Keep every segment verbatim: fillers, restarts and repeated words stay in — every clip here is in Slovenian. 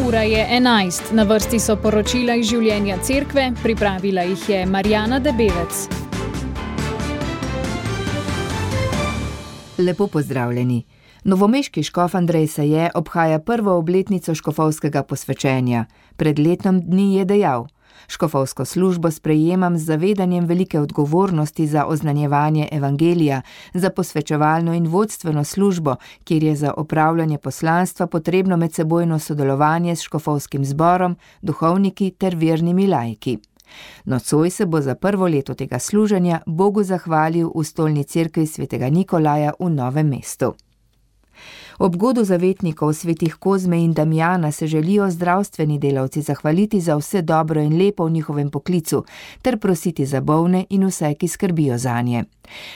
Ura je enajst, na vrsti so poročila iz življenja cerkve, pripravila jih je Marjana Debevec. Lepo pozdravljeni. Novomeški škof Andrej Saje obhaja prvo obletnico škofovskega posvečenja. Pred letom dni je dejal: škofovsko službo sprejemam z zavedanjem velike odgovornosti za oznanjevanje evangelija, za posvečevalno in vodstveno službo, kjer je za opravljanje poslanstva potrebno medsebojno sodelovanje s škofovskim zborom, duhovniki ter vernimi laiki. Nocoj se bo za prvo leto tega služenja Bogu zahvalil v stolni cerkvi svetega Nikolaja v Novem mestu. Ob godu zavetnikov svetih Kozme in Damjana se želijo zdravstveni delavci zahvaliti za vse dobro in lepo v njihovem poklicu ter prositi za bolne in vse, ki skrbijo zanje.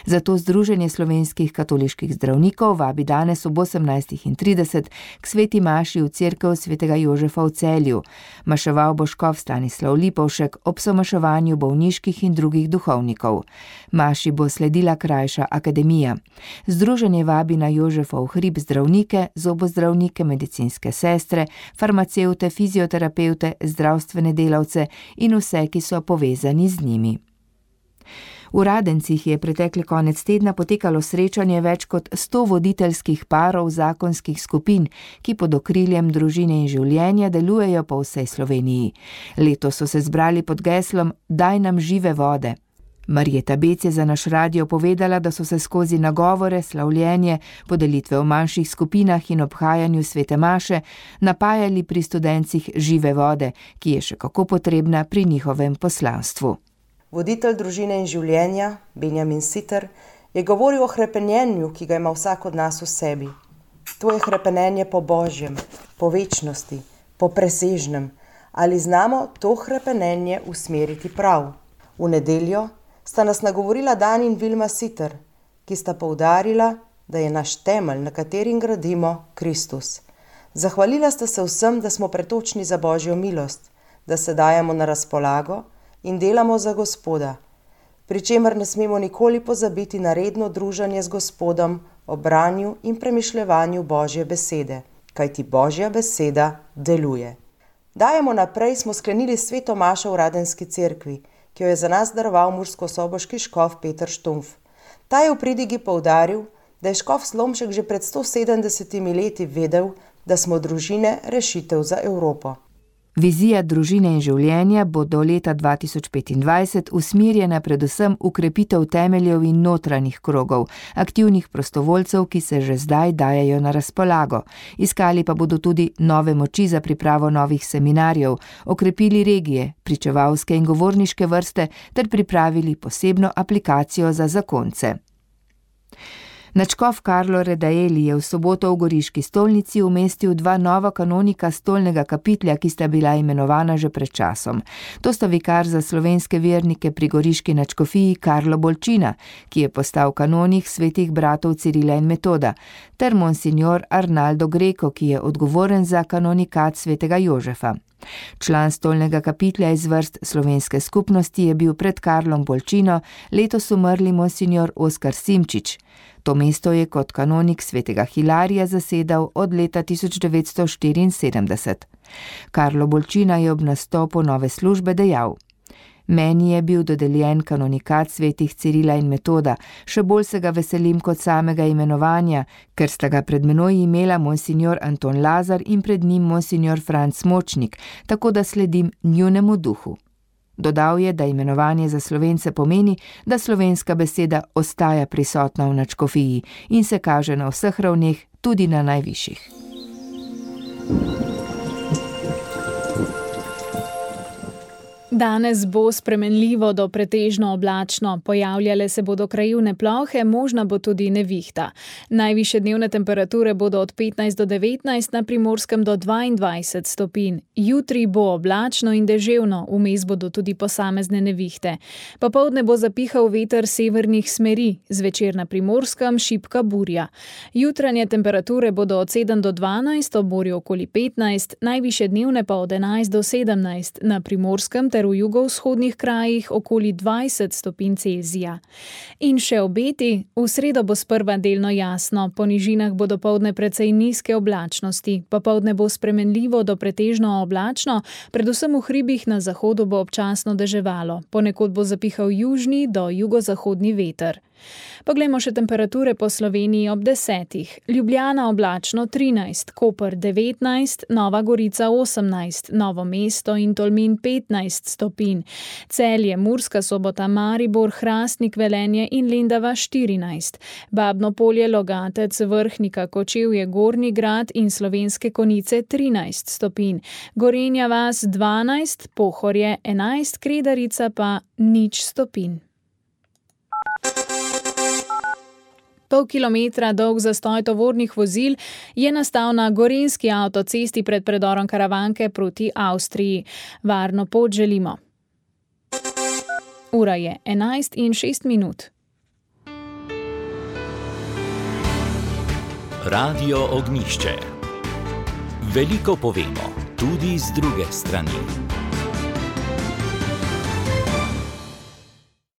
Zato Združenje slovenskih katoliških zdravnikov vabi danes ob osemnajstih trideset k sveti maši v cerkev svetega Jožefa v Celju. Maševal bo škof Stanislav Lipovšek ob somaševanju bolniških in drugih duhovnikov. Maši bo sledila krajša akademija. Združenje vabi na Jožefov hrib zdravnike, zobozdravnike, medicinske sestre, farmacevte, fizioterapevte, zdravstvene delavce in vse, ki so povezani z njimi. V Radencih je pretekli konec tedna potekalo srečanje več kot sto voditeljskih parov zakonskih skupin, ki pod okriljem družine in življenja delujejo po vsej Sloveniji. Letos so se zbrali pod geslom Daj nam žive vode. Marjeta Bec je za naš radio povedala, da so se skozi nagovore, slavljenje, podelitve v manjših skupinah in obhajanju svete maše napajali pri študencih žive vode, ki je še kako potrebna pri njihovem poslanstvu. Voditelj družine in življenja, Benjamin Sitter, je govoril o hrepenenju, ki ga ima vsak od nas v sebi. To je hrepenenje po Božjem, po večnosti, po presežnem. Ali znamo to hrepenenje usmeriti prav? V nedeljo sta nas nagovorila Dan in Vilma Sitter, ki sta poudarila, da je naš temelj, na katerim gradimo, Kristus. Zahvalila sta se vsem, da smo pretočni za Božjo milost, da se dajemo na razpolago in delamo za Gospoda, pri čemer ne smemo nikoli pozabiti na redno druženje z Gospodom o branju in premišljevanju Božje besede, kajti Božja beseda deluje. Dajemo naprej smo sklenili sveto mašo v Radenski cerkvi, ki jo je za nas daroval murskosoboški škof Peter Štumpf. Ta je v pridigi poudaril, da je škof Slomšek že pred sto sedemdesetimi leti vedel, da smo družine rešitev za Evropo. Vizija družine in življenja bo do leta dva tisoč petindvajset usmerjena predvsem v krepitev temeljev in notranjih krogov, aktivnih prostovoljcev, ki se že zdaj dajejo na razpolago. Iskali pa bodo tudi nove moči za pripravo novih seminarjev, okrepili regije, pričevalske in govorniške vrste ter pripravili posebno aplikacijo za zakonce. Nadškof Karlo Redaeli je v soboto v Goriški stolnici umestil dva nova kanonika stolnega kapitlja, ki sta bila imenovana že pred časom. To sta vikar za slovenske vernike pri Goriški nadškofiji Karlo Bolčina, ki je postal kanonik svetih bratov Cirila in Metoda, ter monsignor Arnaldo Greco, ki je odgovoren za kanonikat svetega Jožefa. Član stolnega kapitlja iz vrst slovenske skupnosti je bil pred Karlom Bolčino letos umrli monsignor Oskar Simčič. To mesto je kot kanonik svetega Hilarija zasedal od leta tisoč devetsto štiriinsedemdeset. Karlo Bolčina je ob nastopu nove službe dejal: Meni je bil dodeljen kanonikat svetih Cirila in Metoda, še bolj se ga veselim kot samega imenovanja, ker sta ga pred menoj imela monsignor Anton Lazar in pred njim monsignor Franc Močnik, tako da sledim njunemu duhu. Dodal je, da imenovanje za Slovence pomeni, da slovenska beseda ostaja prisotna v nadškofiji in se kaže na vseh ravneh, tudi na najvišjih. Danes bo spremenljivo do pretežno oblačno, pojavljale se bodo krajevne plohe, možna bo tudi nevihta. Najvišje dnevne temperature bodo od petnajst do devetnajst, na Primorskem do dvaindvajset stopinj. Jutri bo oblačno in deževno, vmes bodo tudi posamezne nevihte. Popoldne bo zapihal veter severnih smeri, zvečer na Primorskem šibka burja. Jutranje temperature bodo od sedem do dvanajst, ob morju okoli petnajst, najvišje dnevne pa od enajst do sedemnajst, na Primorskem ter ter v jugovzhodnih krajih okoli dvajset stopinj Celzija. In še obeti, v sredo bo sprva delno jasno, po nižinah bo dopoldne precej nizke oblačnosti, popoldne bo spremenljivo do pretežno oblačno, predvsem v hribih na zahodu bo občasno deževalo, ponekod bo zapihal južni do jugozahodni veter. Poglejmo še temperature po Sloveniji ob desetih. Ljubljana oblačno trinajst, Koper devetnajst, Nova Gorica osemnajst, Novo mesto in Tolmin petnajst stopinj, Celje, Murska Sobota, Maribor, Hrastnik, Velenje in Lendava štirinajst, Babno Polje, Logatec, Vrhnika, Kočevje, Gornji Grad in Slovenske Konjice trinajst stopinj, Gorenja vas dvanajst, Pohorje enajst, Kredarica pa nič stopinj. Pol kilometra dolg zastoj tovornih vozil je nastal na gorenjski avtocesti pred predorom Karavanke proti Avstriji. Varno pot želimo. Ura je enajst in šest minut. Radio Ognjišče. Veliko povemo, tudi z druge strani.